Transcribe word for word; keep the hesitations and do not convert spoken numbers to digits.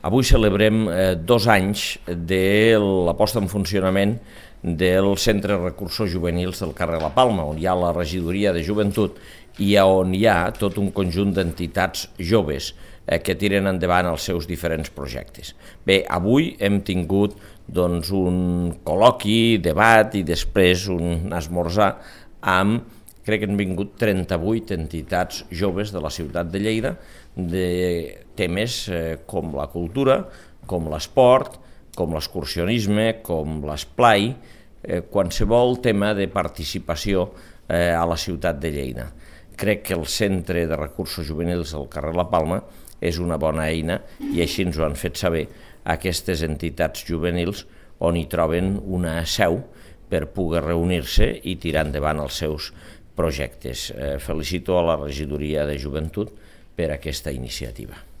Avui celebrem eh, dos anys de la posta en funcionament del Centre de Recursos Juvenils del carrer La Palma, on hi ha la regidoria de joventut i on hi ha tot un conjunt d'entitats joves eh, que tiren endavant els seus diferents projectes. Bé, avui hem tingut doncs, un col·loqui, debat i després un esmorzar amb, crec que han vingut trenta-vuit entitats joves de la ciutat de Lleida, de temes eh, com la cultura, com l'esport, com l'excursionisme, com l'esplai, eh, qualsevol tema de participació eh, a la ciutat de Lleida. Crec que el Centre de Recursos Juvenils del carrer La Palma és una bona eina i així ens ho han fet saber aquestes entitats juvenils on hi troben una seu per poder reunir-se i tirar endavant els seus projectes. Eh, felicito a la regidoria de joventut per aquesta iniciativa.